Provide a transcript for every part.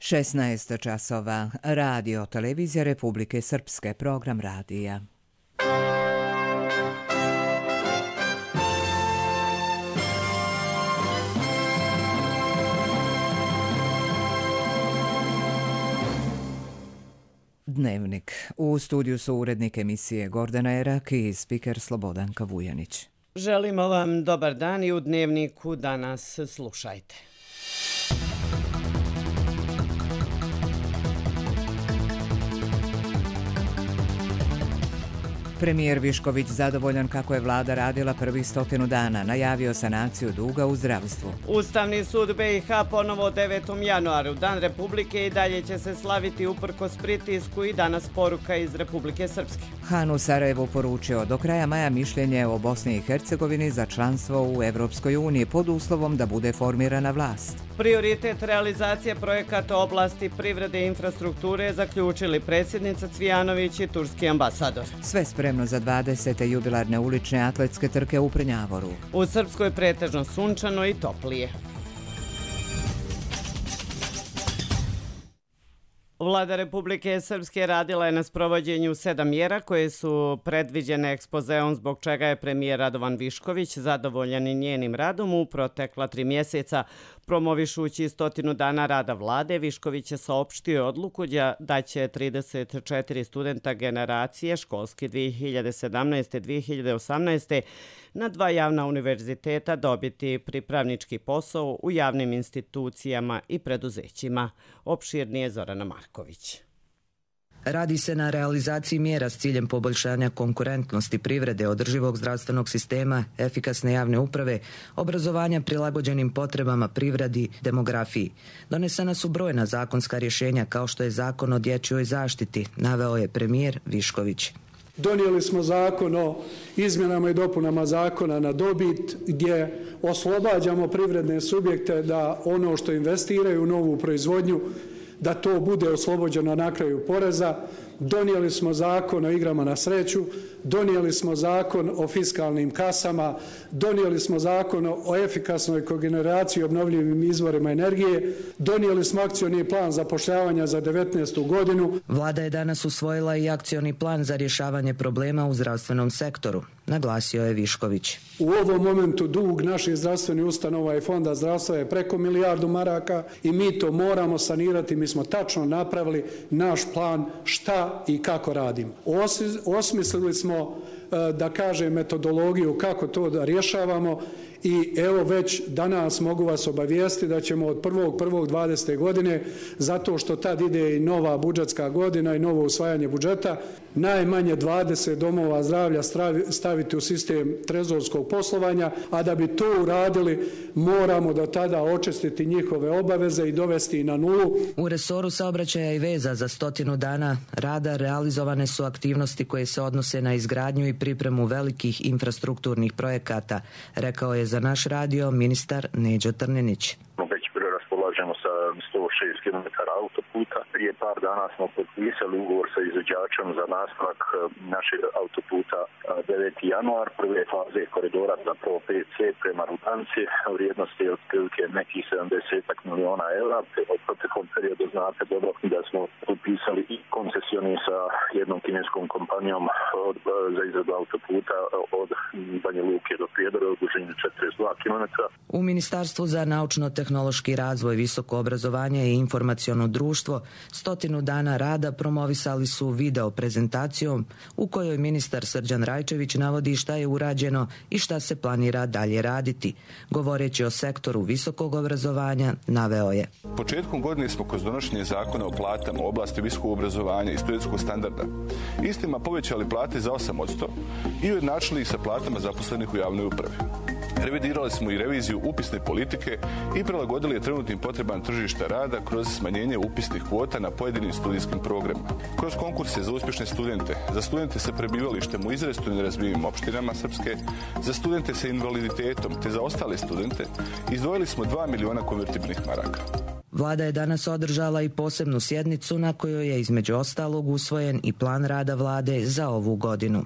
16 časova. Radio Televizija Republike Srpske. Program radija. Dnevnik. U studiju su urednik emisije Gordana Erak i spiker Slobodanka Vujanić. Želimo vam dobar dan i u Dnevniku danas slušajte. Premijer Višković zadovoljan kako je vlada radila prvih 100 dana, najavio sanaciju duga u zdravstvu. Ustavni sud BiH ponovo 9. januaru, Dan Republike, i dalje će se slaviti uprkos pritisku i danas poruka iz Republike Srpske. Han u Sarajevu poručio do kraja maja mišljenje o Bosni i Hercegovini za članstvo u Evropskoj uniji pod uslovom da bude formirana vlast. Prioritet realizacije projekata oblasti privrede i infrastrukture zaključili predsjednica Cvijanović i turski ambasador. Sve spremno za 20. jubilarne ulične atletske trke u Prnjavoru. U Srpskoj pretežno sunčano i toplije. Vlada Republike Srpske radila je na sprovođenju 7 mjera koje su predviđene ekspozeom, zbog čega je premijer Radovan Višković zadovoljan i njenim radom u protekla 3 mjeseca. Promovišući 100 dana rada vlade, Višković je saopštio odluku da će 34 studenta generacije školske 2017-2018 na 2 javna univerziteta dobiti pripravnički posao u javnim institucijama i preduzećima. Opširnije Zorana Marković. Radi se na realizaciji mjera s ciljem poboljšanja konkurentnosti privrede, održivog zdravstvenog sistema, efikasne javne uprave, obrazovanja prilagođenim potrebama privredi, demografiji. Donesena su brojna zakonska rješenja kao što je Zakon o dječjoj zaštiti, naveo je premijer Višković. Donijeli smo zakon o izmjenama i dopunama zakona na dobit gdje oslobađamo privredne subjekte da ono što investiraju u novu proizvodnju da to bude oslobođeno na kraju poreza. Donijeli smo zakon o igrama na sreću, donijeli smo zakon o fiskalnim kasama, donijeli smo zakon o efikasnoj kogeneraciji i obnovljivim izvorima energije, donijeli smo akcioni plan zapošljavanja za 2019. godinu. Vlada je danas usvojila i akcioni plan za rješavanje problema u zdravstvenom sektoru, naglasio je Višković. U ovom momentu dug naših zdravstvenih ustanova i fonda zdravstva je preko milijardu maraka i mi to moramo sanirati. Mi smo tačno napravili naš plan šta i kako radimo. Osmislili smo, da kažem, metodologiju kako to da rješavamo i evo već danas mogu vas obavijestiti da ćemo od 1.1.2020. godine, zato što tad ide i nova budžetska godina i novo usvajanje budžeta, najmanje 20 domova zdravlja staviti u sistem trezorskog poslovanja, a da bi to uradili moramo do tada očistiti njihove obaveze i dovesti na nulu. U resoru saobraćaja i veza za 100 dana rada realizovane su aktivnosti koje se odnose na izgradnju i pripremu velikih infrastrukturnih projekata, rekao je za naš radio ministar Neđo Trninić. Raspolažemo sa 106 km autoputa. Prije par dana smo potpisali ugovor sa izvođačem za nastavak našeg autoputa 9. januar, prve faze koridora za POPC prema Rudanci, vrijednosti je otprilike nekih 70 milijuna eura. Od proteklom periodu znate dobro da smo potpisali i koncesioni sa jednom kineskom kompanijom za izradu autoputa od Banja Luke do Prijedora u dužini 42 km. U Ministarstvu za naučno-tehnološki razvoj, visoko obrazovanje i informaciono društvo 100 dana rada promovisali su video prezentacijom u kojoj ministar Srđan Rajčević navodi šta je urađeno i šta se planira dalje raditi. Govoreći o sektoru visokog obrazovanja, naveo je: Početkom godine smo kroz donošenje zakona o platama u oblasti visokog obrazovanja i studentskog standarda istima povećali plate za 8% i ujednačili ih sa platama zaposlenih u javnoj upravi. Revidirali smo i reviziju upisne politike i prilagodili je trenutnim potrebama tržišta rada kroz smanjenje upisnih kvota na pojedinim studijskim programima. Kroz konkurse za uspješne studente, za studente sa prebivalištem u izrazito nerazvijenim opštinama Srpske, za studente sa invaliditetom te za ostale studente izdvojili smo 2 miliona konvertibilnih maraka. Vlada je danas održala i posebnu sjednicu na kojoj je između ostalog usvojen i plan rada vlade za ovu godinu.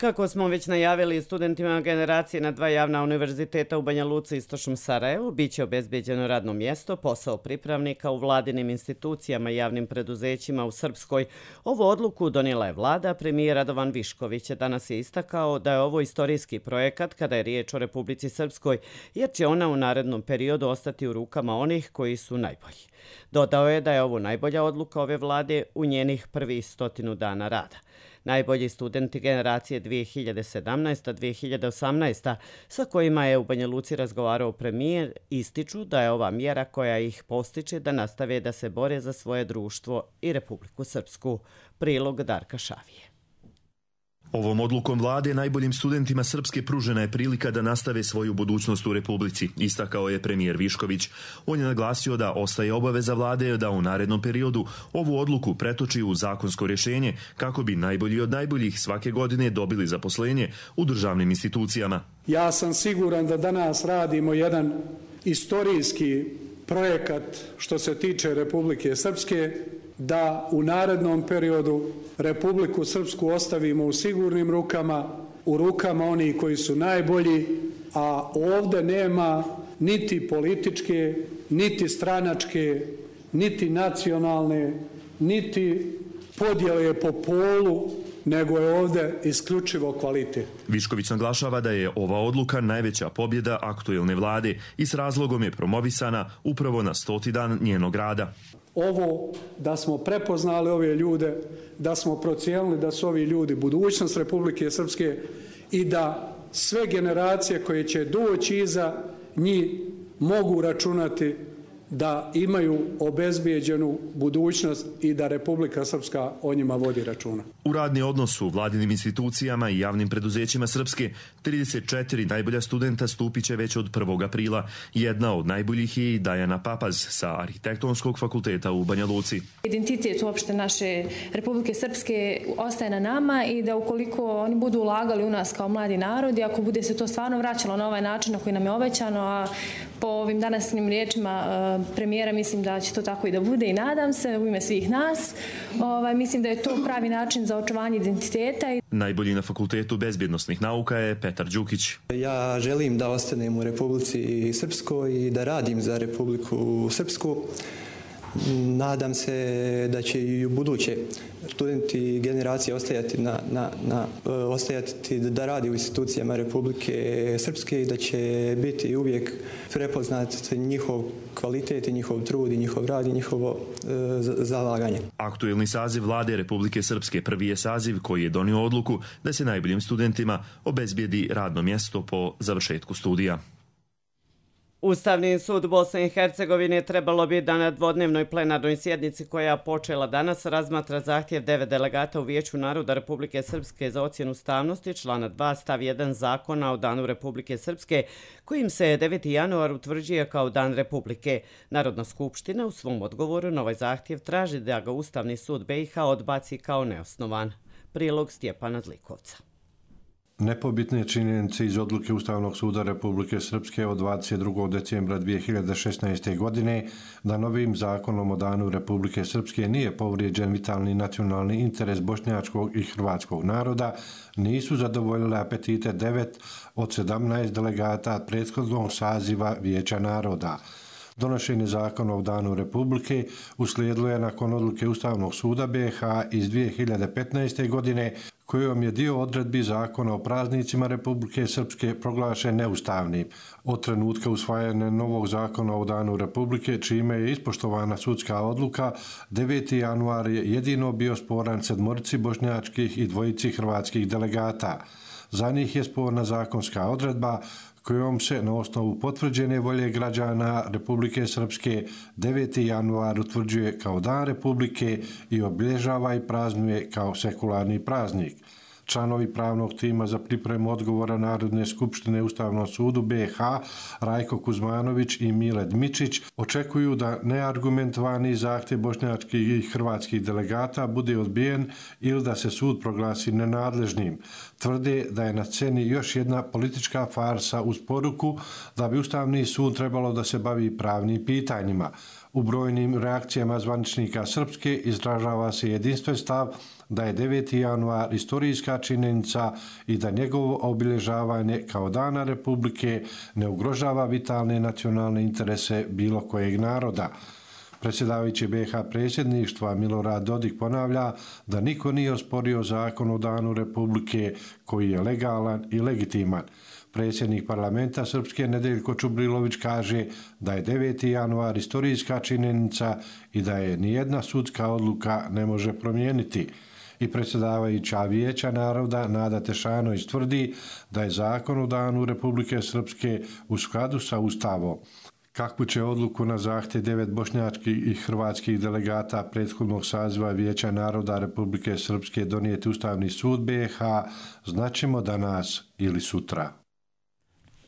Kako smo već najavili, studentima generacije na 2 javna univerziteta u Banja Luci i Istočnom Sarajevu biće obezbeđeno radno mjesto, posao pripravnika u vladinim institucijama i javnim preduzećima u Srpskoj. Ovu odluku donijela je vlada. Premijer Radovan Višković danas je istakao da je ovo istorijski projekat kada je riječ o Republici Srpskoj, jer će ona u narednom periodu ostati u rukama onih koji su najbolji. Dodao je da je ovo najbolja odluka ove vlade u njenih prvih 100 dana rada. Najbolji studenti generacije 2017-2018, sa kojima je u Banja Luci razgovarao premijer, ističu da je ova mjera koja ih postiče da nastave da se bore za svoje društvo i Republiku Srpsku. Prilog Darka Šavije. Ovom odlukom vlade najboljim studentima Srpske pružena je prilika da nastave svoju budućnost u Republici, istakao je premijer Višković. On je naglasio da ostaje obaveza vlade da u narednom periodu ovu odluku pretoči u zakonsko rješenje kako bi najbolji od najboljih svake godine dobili zaposlenje u državnim institucijama. Ja sam siguran da danas radimo jedan istorijski projekat što se tiče Republike Srpske, da u narednom periodu Republiku Srpsku ostavimo u sigurnim rukama, u rukama onih koji su najbolji, a ovdje nema niti političke, niti stranačke, niti nacionalne, niti podjele po polu, nego je ovdje isključivo kvalitet. Višković naglašava da je ova odluka najveća pobjeda aktuelne vlade i s razlogom je promovisana upravo na 100. dan njenog rada. Ovo da smo prepoznali ove ljude, da smo procijenili da su ovi ljudi budućnost Republike Srpske i da sve generacije koje će doći iza njih mogu računati da imaju obezbijeđenu budućnost i da Republika Srpska o njima vodi računa. U radni odnos u vladinim institucijama i javnim preduzećima Srpske 34 najbolja studenta stupit će već od 1. aprila. Jedna od najboljih je i Dajana Papaz sa Arhitektonskog fakulteta u Banja Luci. Identitet uopšte naše Republike Srpske ostaje na nama i da ukoliko oni budu ulagali u nas kao mladi narod i ako bude se to stvarno vraćalo na ovaj način na koji nam je obećano, a po ovim današnjim riječima premijera mislim da će to tako i da bude i nadam se u ime svih nas. Mislim da je to pravi način za očuvanje identiteta. Najbolji na Fakultetu bezbjednosnih nauka je Petar Đukić. Ja želim da ostanem u Republici Srpskoj i da radim za Republiku Srpsku. Nadam se da će i u buduće studenti generacije ostajati da radi u institucijama Republike Srpske i da će biti uvijek prepoznat njihov kvalitet i njihov trud i njihov rad i njihovo zalaganje. Aktuelni saziv vlade Republike Srpske prvi je saziv koji je donio odluku da se najboljim studentima obezbijedi radno mjesto po završetku studija. Ustavni sud Bosne i Hercegovine trebalo bi da na dvodnevnoj plenarnoj sjednici koja počela danas razmatra zahtjev 9 delegata u Vijeću naroda Republike Srpske za ocjenu ustavnosti člana 2 stav 1 Zakona o Danu Republike Srpske, kojim se 9. januar utvrđuje kao Dan Republike. Narodna skupština u svom odgovoru na ovaj zahtjev traži da ga Ustavni sud BiH odbaci kao neosnovan. Prilog Stjepana Zlikovca. Nepobitne činjenice iz odluke Ustavnog suda Republike Srpske od 22. decembra 2016. godine da novim zakonom o Danu Republike Srpske nije povrijeđen vitalni nacionalni interes bošnjačkog i hrvatskog naroda nisu zadovoljile apetite 9 od 17 delegata prethodnog saziva Vijeća naroda. Donošenje zakona o Danu Republike uslijedilo je nakon odluke Ustavnog suda BiH iz 2015. godine kojom je dio odredbi zakona o praznicima Republike Srpske proglašen neustavnim. Od trenutka usvajanja novog zakona o Danu Republike, čime je ispoštovana sudska odluka, 9. januar je jedino bio sporan 7 bošnjačkih i 2 hrvatskih delegata. Za njih je sporna zakonska odredba kojom se na osnovu potvrđene volje građana Republike Srpske 9. januar utvrđuje kao Dan Republike i obilježava i praznuje kao sekularni praznik. Članovi pravnog tima za pripremu odgovora Narodne skupštine Ustavnom sudu BiH Rajko Kuzmanović i Mile Dmičić očekuju da neargumentovani zahtjev bošnjačkih i hrvatskih delegata bude odbijen ili da se sud proglasi nenadležnim. Tvrde da je na sceni još jedna politička farsa uz poruku da bi Ustavni sud trebalo da se bavi pravnim pitanjima. U brojnim reakcijama zvaničnika Srpske izražava se jedinstven stav da je 9. januar istorijska činjenica i da njegovo obilježavanje kao Dana Republike ne ugrožava vitalne nacionalne interese bilo kojeg naroda. Predsjedavajući BiH predsjedništva Milorad Dodik ponavlja da niko nije osporio zakon o Danu Republike koji je legalan i legitiman. Predsjednik parlamenta Srpske Nedeljko Čubrilović kaže da je 9. januar istorijska činjenica i da je nijedna sudska odluka ne može promijeniti. I predsjedavajuća Vijeća naroda Nada Tešanović tvrdi da je zakon o Danu Republike Srpske u skladu sa Ustavom. Kakvu će odluku na zahtjev 9 bošnjačkih i hrvatskih delegata prethodnog saziva Vijeća naroda Republike Srpske donijeti Ustavni sud BiH, znaćemo danas ili sutra.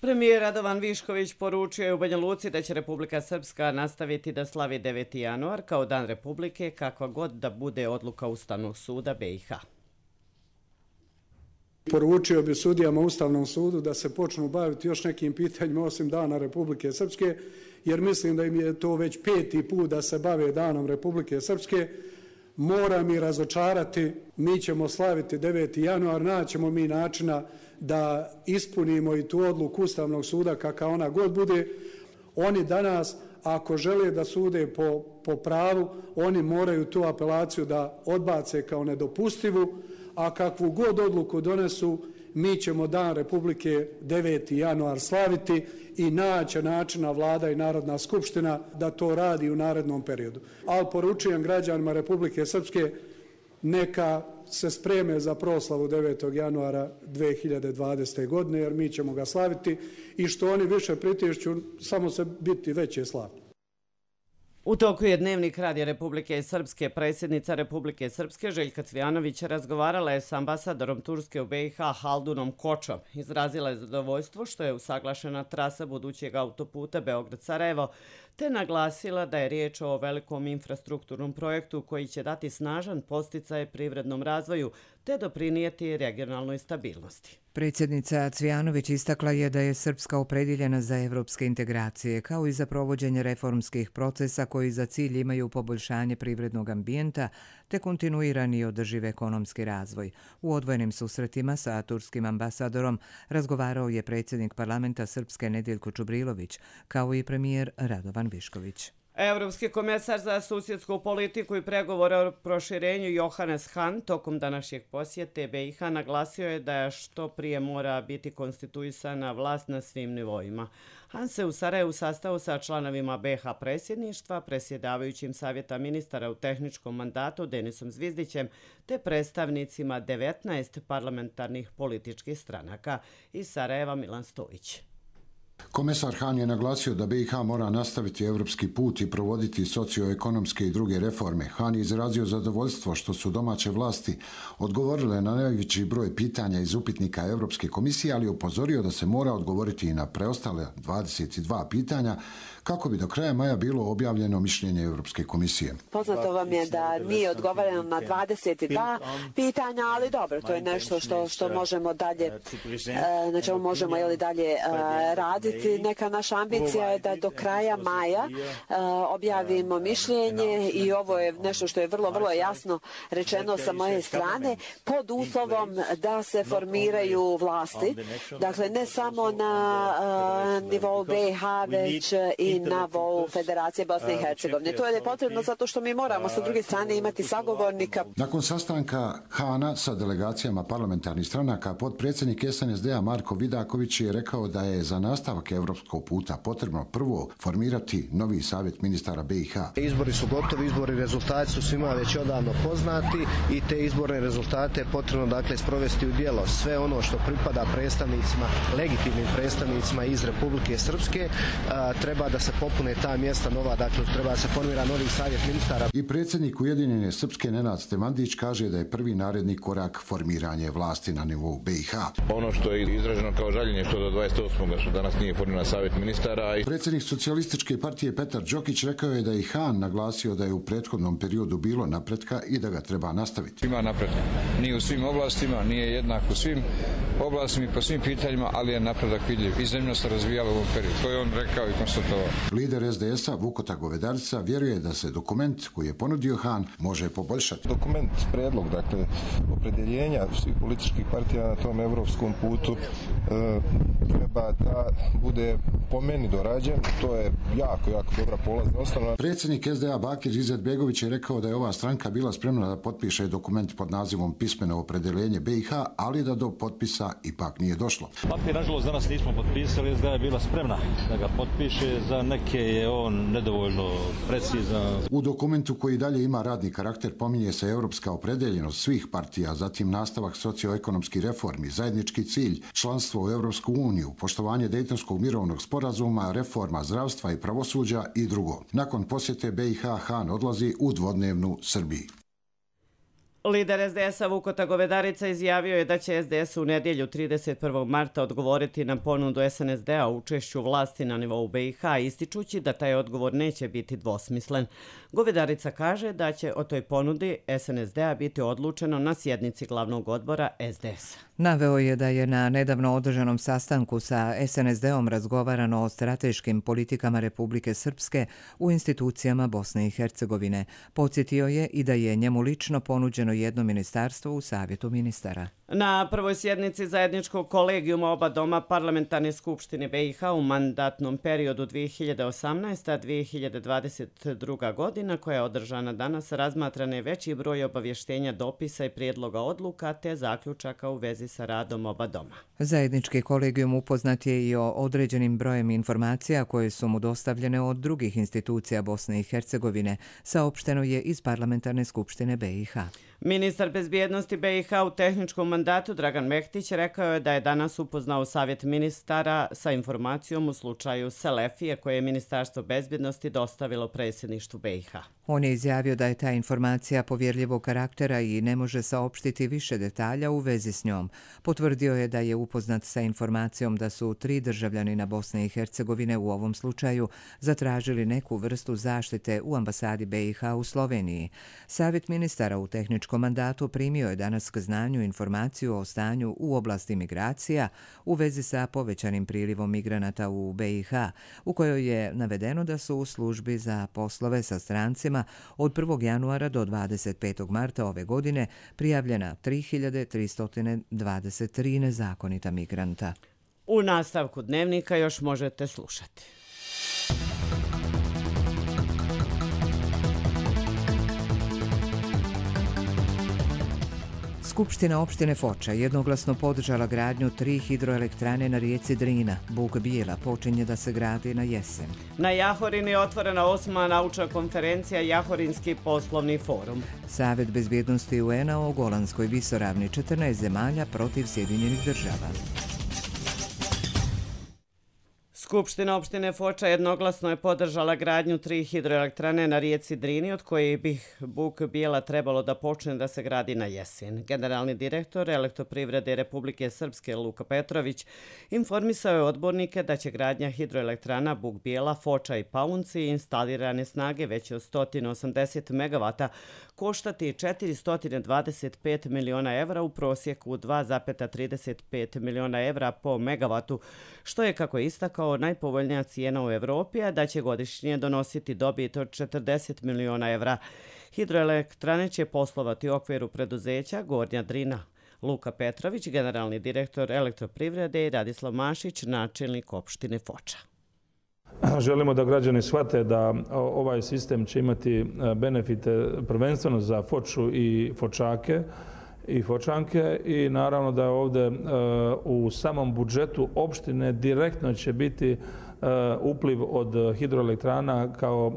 Premijer Radovan Višković poručio je u Banja Luci da će Republika Srpska nastaviti da slavi 9. januar kao Dan Republike kakva god da bude odluka Ustavnog suda BiH. Poručio bi sudijama Ustavnom sudu da se počnu baviti još nekim pitanjima osim Dana Republike Srpske, jer mislim da im je to već 5. put da se bave Danom Republike Srpske. Moram ih razočarati, mi ćemo slaviti 9. januar, naćemo mi načina da ispunimo i tu odluku Ustavnog suda kakva ona god bude. Oni danas, ako žele da sude po pravu, oni moraju tu apelaciju da odbace kao nedopustivu, a kakvu god odluku donesu, mi ćemo Dan Republike 9. januar slaviti i naći načina Vlada i Narodna skupština da to radi u narednom periodu. Ali poručujem građanima Republike Srpske neka se spreme za proslavu 9. januara 2020. godine, jer mi ćemo ga slaviti i što oni više pritišću, samo se biti veće slavlje. U toku je Dnevnik Radija Republike Srpske. Predsjednica Republike Srpske Željka Cvijanović razgovarala je s ambasadorom Turske u BiH Haldunom Kočom. Izrazila je zadovoljstvo što je usaglašena trasa budućeg autoputa Beograd-Sarajevo, te naglasila da je riječ o velikom infrastrukturnom projektu koji će dati snažan podsticaj privrednom razvoju te doprinijeti regionalnoj stabilnosti. Predsjednica Cvijanović istakla je da je Srpska opredjeljena za evropske integracije, kao i za provođenje reformskih procesa koji za cilj imaju poboljšanje privrednog ambijenta te kontinuirani i održiv ekonomski razvoj. U odvojenim susretima sa turskim ambasadorom razgovarao je predsjednik parlamenta Srpske Nedeljko Čubrilović, kao i premijer Radovan Višković. Evropski komesar za susjedsku politiku i pregovore o proširenju Johannes Hahn tokom današnjeg posjete BiH naglasio je da što prije mora biti konstituisana vlast na svim nivoima. Hahn se u Sarajevu sastao sa članovima BiH predsjedništva, predsjedavajućim savjeta ministara u tehničkom mandatu Denisom Zvizdićem te predstavnicima 19 parlamentarnih političkih stranaka. Iz Sarajeva Milan Stojić. Komesar Hahn je naglasio da BiH mora nastaviti evropski put i provoditi socioekonomske i druge reforme. Hahn je izrazio zadovoljstvo što su domaće vlasti odgovorile na najveći broj pitanja iz upitnika Evropske komisije, ali upozorio da se mora odgovoriti i na preostale 22 pitanja kako bi do kraja maja bilo objavljeno mišljenje Evropske komisije. Poznato vam je da nije odgovoreno na 22 pitanja, ali dobro, to je nešto što možemo dalje, na čemu možemo dalje raditi. Neka naša ambicija je da do kraja maja objavimo mišljenje i ovo je nešto što je vrlo jasno rečeno sa moje strane, pod uslovom da se formiraju vlasti. Dakle, ne samo na nivou BiH, već i na nivou Federacije Bosne i Hercegovine. To je potrebno zato što mi moramo sa druge strane imati sagovornika. Nakon sastanka Hahna sa delegacijama parlamentarnih stranaka, potpredsjednik SNSD-a Marko Vidaković je rekao da je za nastavak evropskog puta potrebno prvo formirati novi savjet ministara BiH. Izbori su gotovi, izbori rezultati su svima već odavno poznati i te izborne rezultate je potrebno sprovesti u djelo. Sve ono što pripada predstavnicima, legitimnim predstavnicima iz Republike Srpske, treba da se popune ta mjesta nova, treba da se formira novi savjet ministara. I predsjednik Ujedinjene Srpske Nenad Stevandić kaže da je prvi naredni korak formiranje vlasti na nivou BiH. Ono što je izraženo kao žaljenje što do 28. što danas nije formiran savjet ministara. Predsjednik Socijalističke partije Petar Đokić rekao je da je Han naglasio da je u prethodnom periodu bilo napretka i da ga treba nastaviti. Ima napretka. Nije u svim oblastima, nije jednak u svim oblastima i po svim pitanjima, ali je napredak vidljiv. I zemlja se razvijala u ovom periodu. To je on rekao i konstatovao. Lider SDS-a Vukota Govedarica vjeruje da se dokument koji je ponudio Han može poboljšati. Dokument, predlog, dakle, opredjeljenja svih političkih partija na tom evropskom putu treba da bude po meni dorađen. To je jako dobra polazna osnova. Predsjednik SDA Bakir Izetbegović je rekao da je ova stranka bila spremna da potpiše dokument pod nazivom Pismeno opredjeljenje BiH, ali da do potpisa ipak nije došlo. Papir, nažalost, danas nismo potpisali, SDA je bila spremna da ga potpiše, za neke je on nedovoljno precizan. U dokumentu koji dalje ima radni karakter pominje se europska opredjeljenost svih partija, zatim nastavak socioekonomskih reformi, zajednički cilj, članstvo u Europsku uniju, poštovanje Dejtonskog mirovnog sporazuma, reforma zdravstva i pravosuđa i drugo. Nakon posjete BiH Han odlazi u dvodnevnu Srbiji. Lider SDS-a Vukota Govedarica izjavio je da će SDS u nedjelju 31. marta odgovoriti na ponudu SNSD-a o učešću vlasti na nivou BiH, ističući da taj odgovor neće biti dvosmislen. Govedarica kaže da će o toj ponudi SNSD-a biti odlučeno na sjednici glavnog odbora SDS-a. Naveo je da je na nedavno održanom sastanku sa SNSD-om razgovarano o strateškim politikama Republike Srpske u institucijama Bosne i Hercegovine. Podsjetio je i da je njemu lično ponuđeno jedno ministarstvo u Savjetu ministara. Na prvoj sjednici zajedničkog kolegijuma oba doma Parlamentarne skupštine BiH u mandatnom periodu 2018-2022 godina, koja je održana danas, razmatran je veći broj obavještenja, dopisa i prijedloga odluka te zaključaka u vezi sa radom oba doma. Zajednički kolegijum upoznat je i o određenim brojem informacija koje su mu dostavljene od drugih institucija Bosne i Hercegovine, saopšteno je iz Parlamentarne skupštine BiH. Ministar bezbjednosti BiH u tehničkom mandatu Dragan Mehtić rekao je da je danas upoznao Savjet ministara sa informacijom u slučaju Selefije koje je Ministarstvo bezbjednosti dostavilo predsjedništvu BiH. On je izjavio da je ta informacija povjerljivog karaktera i ne može saopštiti više detalja u vezi s njom. Potvrdio je da je upoznat sa informacijom da su 3 državljanina Bosne i Hercegovine u ovom slučaju zatražili neku vrstu zaštite u ambasadi BiH u Sloveniji. Savjet ministara u tehničkom mandatu primio je danas k znanju informaciju o stanju u oblasti migracija u vezi sa povećanim prilivom migranata u BiH, u kojoj je navedeno da su u službi za poslove sa strancima od 1. januara do 25. marta ove godine prijavljena 3323 nezakonita migranta. U nastavku dnevnika još možete slušati. Skupština opštine Foča jednoglasno podržala gradnju 3 hidroelektrane na rijeci Drina. Buk Bijela počinje da se gradi na jesen. Na Jahorini je otvorena 8. naučna konferencija Jahorinski poslovni forum. Savjet bezbjednosti UN-a o Golanskoj visoravni, 14 zemalja protiv Sjedinjenih država. Skupština opštine Foča jednoglasno je podržala gradnju 3 hidroelektrane na rijeci Drini, od kojih bi Buk Bijela trebalo da počne da se gradi na jesen. Generalni direktor Elektroprivrede Republike Srpske Luka Petrović informisao je odbornike da će gradnja hidroelektrana Buk Bijela, Foča i Paunci instalirane snage veće od 180 MW koštati 425 miliona evra, u prosjeku 2,35 miliona evra po megavatu, što je, kako je istakao, najpovoljnija cijena u Evropi, a da će godišnje donositi dobit od 40 miliona evra. Hidroelektrane će poslovati u okviru preduzeća Gornja Drina. Luka Petrović, generalni direktor Elektroprivrede, i Radislav Mašić, načelnik opštine Foča. Želimo da građani shvate da ovaj sistem će imati benefite prvenstveno za Foču i Fočake i Fočanke, i naravno da ovdje u samom budžetu opštine direktno će biti upliv od hidroelektrana kao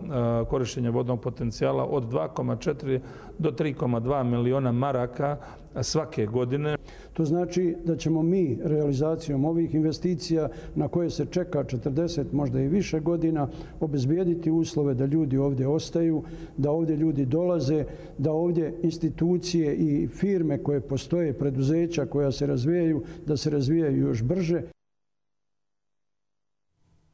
korištenje vodnog potencijala od 2,4 do 3,2 miliona maraka svake godine. To znači da ćemo mi realizacijom ovih investicija, na koje se čeka 40, možda i više godina, obezbijediti uslove da ljudi ovdje ostaju, da ovdje ljudi dolaze, da ovdje institucije i firme koje postoje, preduzeća koja se razvijaju, da se razvijaju još brže.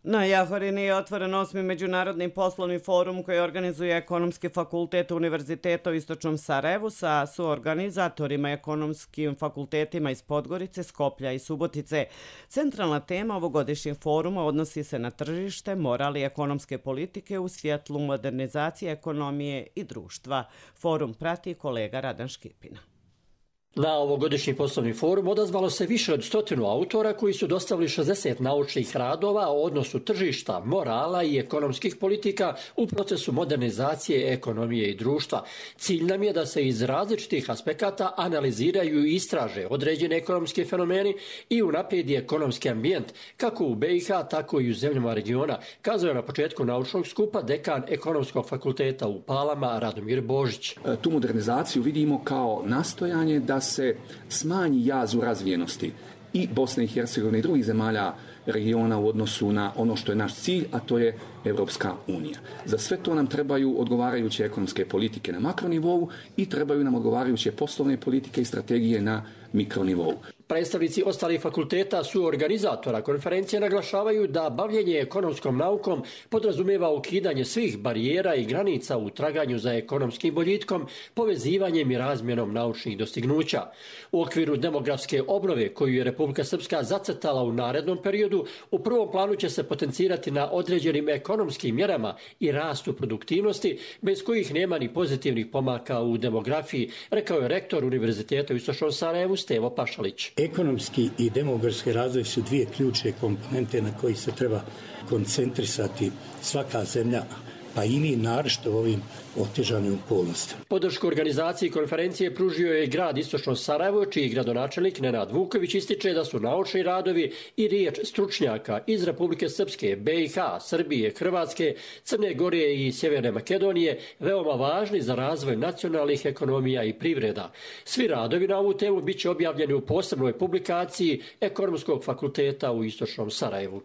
Na Jahorini je otvoren 8. međunarodni poslovni forum koji organizuje Ekonomski fakultet Univerziteta u Istočnom Sarajevu sa suorganizatorima ekonomskim fakultetima iz Podgorice, Skoplja i Subotice. Centralna tema ovogodišnjeg foruma odnosi se na tržište, moral i ekonomske politike u svjetlu modernizacije ekonomije i društva. Forum prati kolega Radan Škipina. Na ovogodišnji poslovni forum odazvalo se više od 100 autora koji su dostavili 60 naučnih radova o odnosu tržišta, morala i ekonomskih politika u procesu modernizacije ekonomije i društva. Cilj nam je da se iz različitih aspekata analiziraju i istraže određene ekonomske fenomeni i unaprijedi ekonomski ambijent, kako u BiH, tako i u zemljama regiona, kazao je na početku naučnog skupa dekan Ekonomskog fakulteta u Palama Radomir Božić. Tu modernizaciju vidimo kao nastojanje da se smanji jaz u razvijenosti i Bosne i Hercegovine i drugih zemalja regiona u odnosu na ono što je naš cilj, a to je Evropska unija. Za sve to nam trebaju odgovarajuće ekonomske politike na makronivou i trebaju nam odgovarajuće poslovne politike i strategije na mikronivou. Predstavnici ostalih fakulteta su organizatora konferencije naglašavaju da bavljenje ekonomskom naukom podrazumijeva ukidanje svih barijera i granica u traganju za ekonomskim boljitkom, povezivanjem i razmjenom naučnih dostignuća. U okviru demografske obnove koju je Republika Srpska zacrtala u narednom periodu, u prvom planu će se potencirati na određenim ekonomskim mjerama i rastu produktivnosti, bez kojih nema ni pozitivnih pomaka u demografiji, rekao je rektor Univerziteta u Istočnom Sarajevu Stevo Pašalić. Ekonomski i demografski razvoj su dvije ključne komponente na koji se treba koncentrisati svaka zemlja, pa i mi naročito u ovim otežanim okolnostima. Podršku organizaciji konferencije pružio je grad Istočno Sarajevo, čiji gradonačelnik Nenad Vuković ističe da su naučni radovi i riječ stručnjaka iz Republike Srpske, BiH, Srbije, Hrvatske, Crne Gore i Sjeverne Makedonije veoma važni za razvoj nacionalnih ekonomija i privreda. Svi radovi na ovu temu biće objavljeni u posebnoj publikaciji Ekonomskog fakulteta u Istočnom Sarajevu.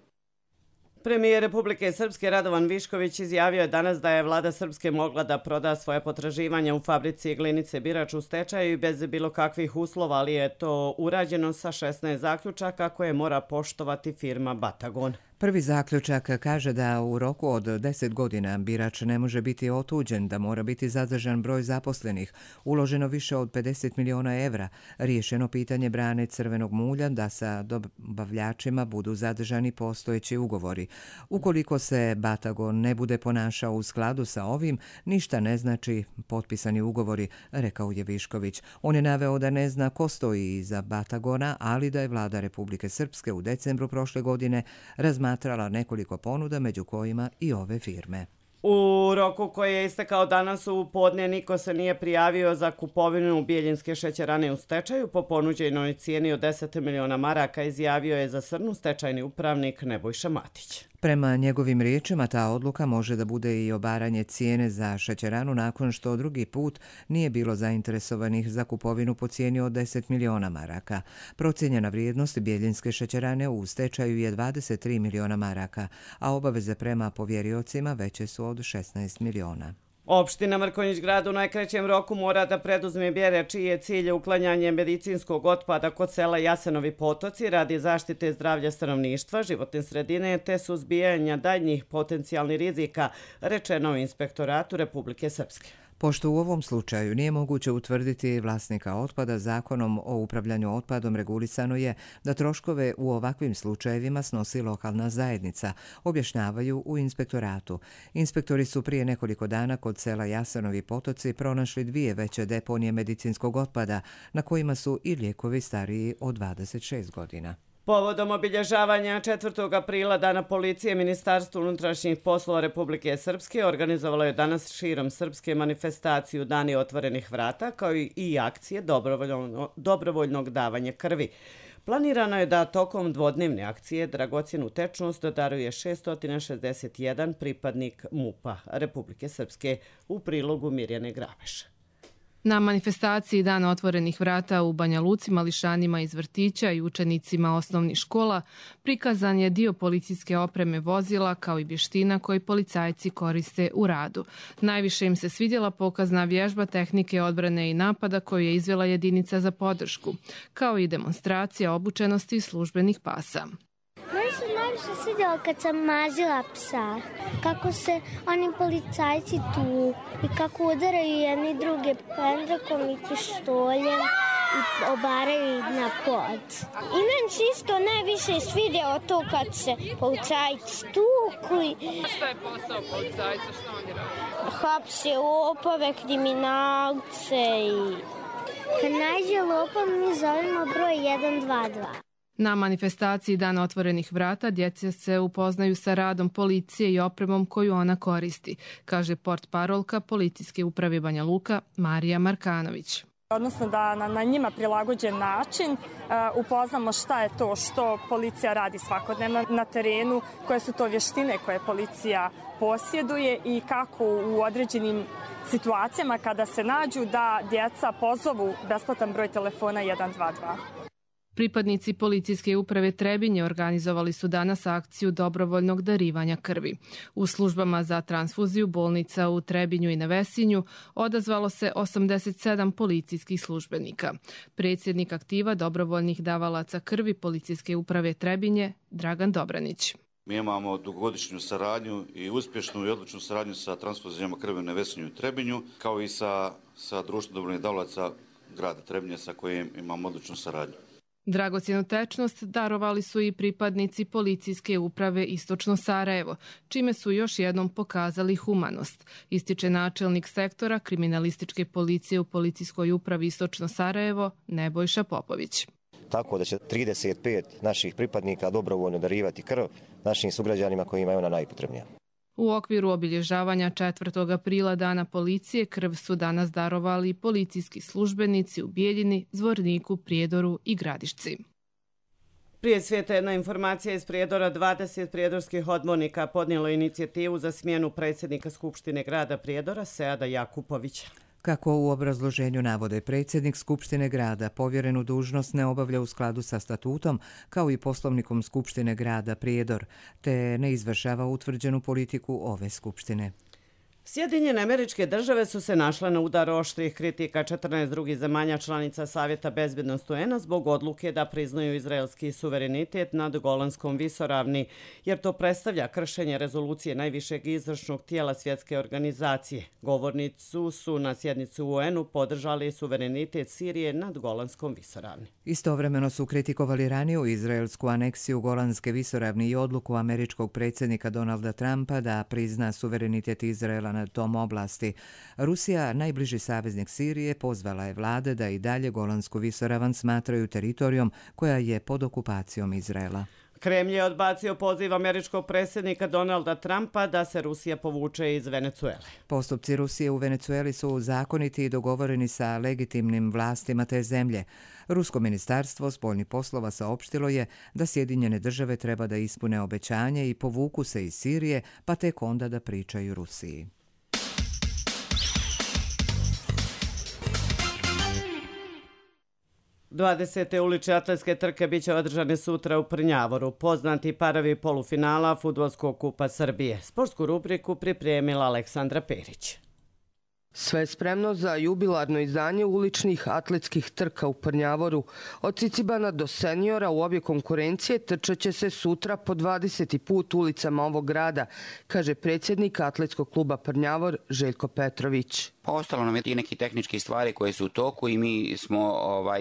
Premijer Republike Srpske Radovan Višković izjavio je danas da je vlada Srpske mogla da proda svoje potraživanja u fabrici Glinice Birač u stečaju i bez bilo kakvih uslova, ali je to urađeno sa 16 zaključaka koje mora poštovati firma Batagon. Prvi zaključak kaže da u roku od 10 godina Birač ne može biti otuđen, da mora biti zadržan broj zaposlenih, uloženo više od 50 miliona evra, riješeno pitanje brane crvenog mulja, da sa dobavljačima budu zadržani postojeći ugovori. Ukoliko se Batagon ne bude ponašao u skladu sa ovim, ništa ne znači potpisani ugovori, rekao je Višković. On je naveo da ne zna ko stoji iza Batagona, ali da je vlada Republike Srpske u decembru prošle godine razmatrala nekoliko ponuda, među kojima i ove firme. U roku koji je istekao danas u podne niko se nije prijavio za kupovinu Bijeljinske šećerane u stečaju po ponuđenoj cijeni od 10 miliona maraka, izjavio je za Srnu stečajni upravnik Nebojša Matić. Prema njegovim riječima, ta odluka može da bude i obaranje cijene za šećeranu nakon što drugi put nije bilo zainteresovanih za kupovinu po cijeni od 10 miliona maraka. Procijenjena vrijednost Bijeljinske šećerane u stečaju je 23 miliona maraka, a obaveze prema povjeriocima veće su od 16 miliona. Opština Mrkonjić Grad u najkraćem roku mora da preduzme mjere čiji je cilj uklanjanje medicinskog otpada kod sela Jasenovi Potoci radi zaštite zdravlja stanovništva, životne sredine te suzbijanja daljnjih potencijalnih rizika, rečeno u Inspektoratu Republike Srpske. Pošto u ovom slučaju nije moguće utvrditi vlasnika otpada, Zakonom o upravljanju otpadom regulisano je da troškove u ovakvim slučajevima snosi lokalna zajednica, objašnjavaju u inspektoratu. Inspektori su prije nekoliko dana kod sela Jasenovi Potoci pronašli 2 veće deponije medicinskog otpada, na kojima su i lijekovi stariji od 26 godina. Povodom obilježavanja 4. aprila Dana policije, Ministarstvo unutrašnjih poslova Republike Srpske organizovalo je danas širom Srpske manifestaciju Dani otvorenih vrata, kao i akcije dobrovoljnog davanja krvi. Planirano je da tokom dvodnevne akcije dragocjenu tečnost daruje 661 pripadnik MUP-a Republike Srpske, u prilogu Mirjane Grabeša. Na manifestaciji Dana otvorenih vrata u Banja Luci mališanima iz vrtića i učenicima osnovnih škola prikazan je dio policijske opreme vozila kao i vještina koji policajci koriste u radu. Najviše im se svidjela pokazna vježba tehnike odbrane i napada koju je izvela jedinica za podršku, kao i demonstracija obučenosti službenih pasa. Meni se najviše svidjelo kad sam mazila psa. Kako se oni policajci tu i kako udaraju jedni druge pendrekom i pištoljem i obaraju na pod. I meni se isto najviše svidjelo to kad se policajci tuku. Šta je posao policajca, što oni rade? Hapse lopove, kriminalce i... Kad nađe lopov mi zovemo broj 122. Na manifestaciji Dana otvorenih vrata djeca se upoznaju sa radom policije i opremom koju ona koristi, kaže portparolka Policijske uprave Banja Luka Marija Markanović. Odnosno da na njima prilagođen način upoznamo šta je to što policija radi svakodnevno na terenu, koje su to vještine koje policija posjeduje i kako u određenim situacijama kada se nađu da djeca pozovu besplatan broj telefona 122. Pripadnici Policijske uprave Trebinje organizovali su danas akciju dobrovoljnog darivanja krvi. U službama za transfuziju bolnica u Trebinju i na Vesinju odazvalo se 87 policijskih službenika. Predsjednik aktiva dobrovoljnih davalaca krvi Policijske uprave Trebinje Dragan Dobranić. Mi imamo dugogodišnju saradnju i uspješnu i odličnu saradnju sa transfuzijama krvi na Vesinju i Trebinju, kao i sa društvom dobrovoljnih davalaca grada Trebinje sa kojim imamo odličnu saradnju. Dragocjenu tečnost darovali su i pripadnici Policijske uprave Istočno Sarajevo, čime su još jednom pokazali humanost, ističe načelnik sektora kriminalističke policije u Policijskoj upravi Istočno Sarajevo Nebojša Popović. Tako da će 35 naših pripadnika dobrovoljno darivati krv našim sugrađanima kojima je ona najpotrebnija. U okviru obilježavanja 4. aprila Dana policije krv su danas darovali policijski službenici u Bijeljini, Zvorniku, Prijedoru i Gradišci. Prije svijeta jedna informacija iz Prijedora. 20 prijedorskih odbornika podnijelo inicijativu za smjenu predsjednika Skupštine grada Prijedora Seada Jakupovića. Kako u obrazloženju navode, predsjednik Skupštine grada povjerenu dužnost ne obavlja u skladu sa statutom kao i poslovnikom Skupštine grada Prijedor, te ne izvršava utvrđenu politiku ove Skupštine. Sjedinjene Američke Države su se našle na udaru oštrih kritika 14 drugih zemalja članica Savjeta bezbjednosti UN-a zbog odluke da priznaju izraelski suverenitet nad Golanskom visoravni, jer to predstavlja kršenje rezolucije najvišeg izvršnog tijela svjetske organizacije. Govornici su na sjednici u UN-u podržali suverenitet Sirije nad Golanskom visoravni. Istovremeno su kritikovali raniju izraelsku aneksiju Golanske visoravni i odluku američkog predsjednika Donalda Trumpa da prizna suverenitet Izraela na tom oblasti. Rusija, najbliži saveznik Sirije, pozvala je vlade da i dalje Golansku visoravan smatraju teritorijom koja je pod okupacijom Izraela. Kremlj je odbacio poziv američkog predsjednika Donalda Trumpa da se Rusija povuče iz Venecuele. Postupci Rusije u Venecueli su zakoniti i dogovoreni sa legitimnim vlastima te zemlje. Rusko ministarstvo spoljnih poslova saopštilo je da Sjedinjene Države treba da ispune obećanje i povuku se iz Sirije, pa tek onda da pričaju Rusiji. Dvadesete ulične atletske trke biće održane sutra u Prnjavoru. Poznati parovi polufinala Fudbalskog kupa Srbije. Sportsku rubriku pripremila Aleksandra Perić. Sve spremno za jubilarno izdanje uličnih atletskih trka u Prnjavoru. Od Cicibana do seniora u obje konkurencije trčat će se sutra po 20. put ulicama ovog grada, kaže predsjednik Atletskog kluba Prnjavor Željko Petrović. Ostalo nam je i neki tehnički stvari koje su u toku i mi smo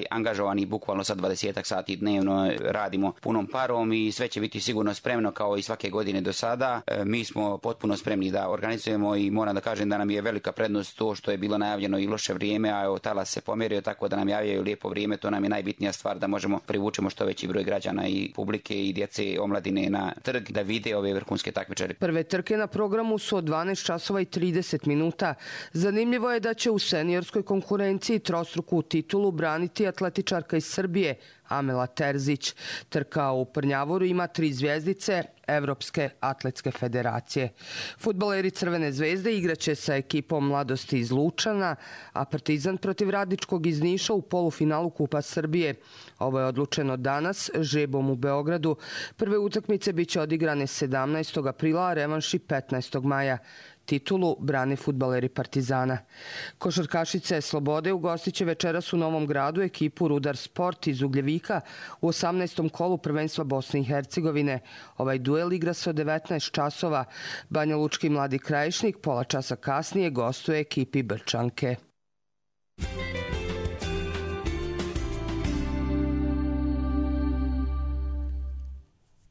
angažovani bukvalno sa 20 sati dnevno, radimo punom parom i sve će biti sigurno spremno kao i svake godine do sada. Mi smo potpuno spremni da organizujemo i moram da kažem da nam je velika prednost to što je bilo najavljeno i loše vrijeme, a evo talas se pomjerio, tako da nam javljaju lijepo vrijeme, to nam je najbitnija stvar da možemo privučemo što veći broj građana i publike i djece omladine na trg da vide ove vrhunske takmičare. Prve trke na programu su od 12 časova i 30 minuta. Zanimljivo je da će u seniorskoj konkurenciji trostruku titulu braniti atletičarka iz Srbije Amela Terzić. Trka u Prnjavoru ima 3 zvjezdice Evropske atletske federacije. Fudbaleri Crvene zvezde igraće sa ekipom Mladosti iz Lučana, a Partizan protiv Radničkog iz Niša u polufinalu Kupa Srbije. Ovo je odlučeno danas žebom u Beogradu. Prve utakmice biće odigrane 17. aprila, a revanši 15. maja. Titulu brane fudbaleri Partizana. Košarkašice Slobode ugostit će večeras u Novom Gradu ekipu Rudar Sport iz Ugljevika u 18. kolu prvenstva Bosne i Hercegovine. Ovaj duel igra se od 19 časova. Banja Lučki Mladi Krajišnik pola časa kasnije gostuje ekipi Brčanke.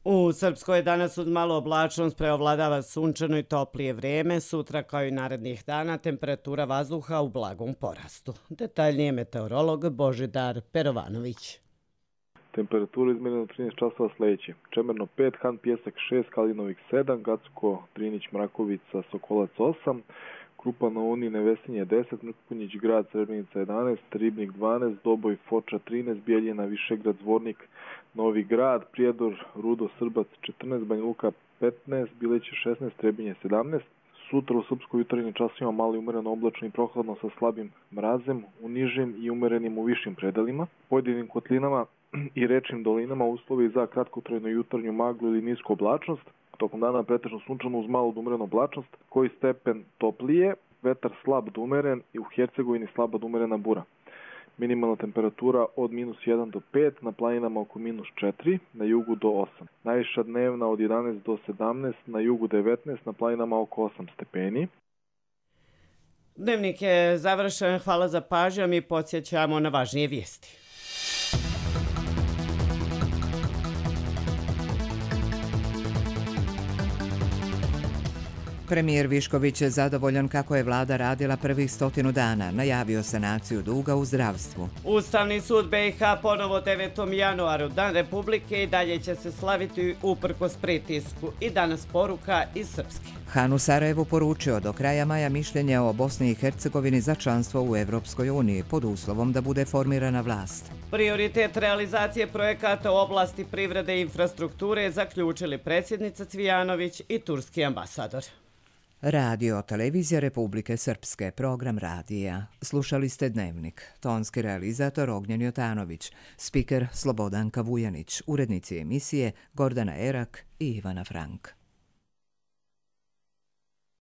U Srpskoj danas uz malo oblačnost preovladava sunčano i toplije vrijeme. Sutra kao i narednih dana temperatura vazduha u blagom porastu. Detaljnije meteorolog Božidar Perovanović. Temperatura izmjerena 13 časova sljedeće. Čemerno 5, Han Pjesak 6, Kalinovik 7, Gacko, Drinić, Mrakovica, Sokolac 8, Krupa na Uni, Nevesinje 10, Mrkunjić, Grad, Srebrenica 11, Ribnik 12, Doboj, Foča 13, Bijeljina, Višegrad, Zvornik, Novi Grad, Prijedor, Rudo, Srbac 14, Banja Luka 15, Bileće 16, Trebinje 17. Sutra u Srpskoj jutarnjim časima malo i umereno oblačno i prohladno sa slabim mrazem, u nižim i umerenim u višim predelima. Pojedinim kotlinama i rečnim dolinama uslovi za kratkotrajnu jutarnju maglu ili nisku oblačnost. Tokom dana pretežno sunčano uz malo umerenu oblačnost, koji stepen toplije, vetar slab do umeren i u Hercegovini slaba do umerena bura. Minimalna temperatura od -1 do 5, na planinama oko -4, na jugu do 8. Najviša dnevna od 11 do 17, na jugu 19, na planinama oko 8 stepeni. Dnevnik je završen, hvala za pažnju, mi podsjećamo na važnije vijesti. Premijer Višković je zadovoljan kako je vlada radila prvih 100 dana, najavio sanaciju duga u zdravstvu. Ustavni sud BiH ponovo 9. januaru, Dan Republike, i dalje će se slaviti uprkos pritisku. I danas poruka iz Srpske. Han u Sarajevu poručio do kraja maja mišljenje o Bosni i Hercegovini za članstvo u Evropskoj uniji, pod uslovom da bude formirana vlast. Prioritet realizacije projekata u oblasti privrede i infrastrukture zaključili predsjednica Cvijanović i turski ambasador. Radio Televizija Republike Srpske, program radija. Slušali ste Dnevnik. Tonski realizator Ognjen Jotanović, spiker Slobodanka Vujanić, urednici emisije Gordana Erak i Ivana Frank.